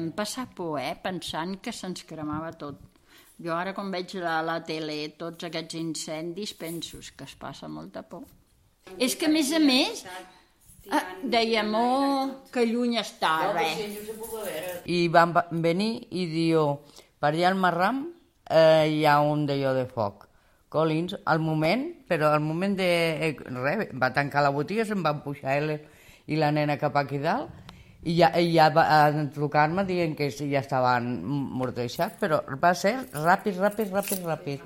vam passar por, pensant que se'ns cremava tot. Jo ara quan veig a la tele tots aquests incendis penso que es passa molta por. És que a més dèiem, que lluny està, res. I van venir i diu, per allà al Marram hi ha un d'allò de foc. Collins, al moment de... va tancar la botiga, se'n van pujar ell i la nena cap aquí dalt, i ja van trucar-me dient que ja estaven morteixats, però va ser ràpid.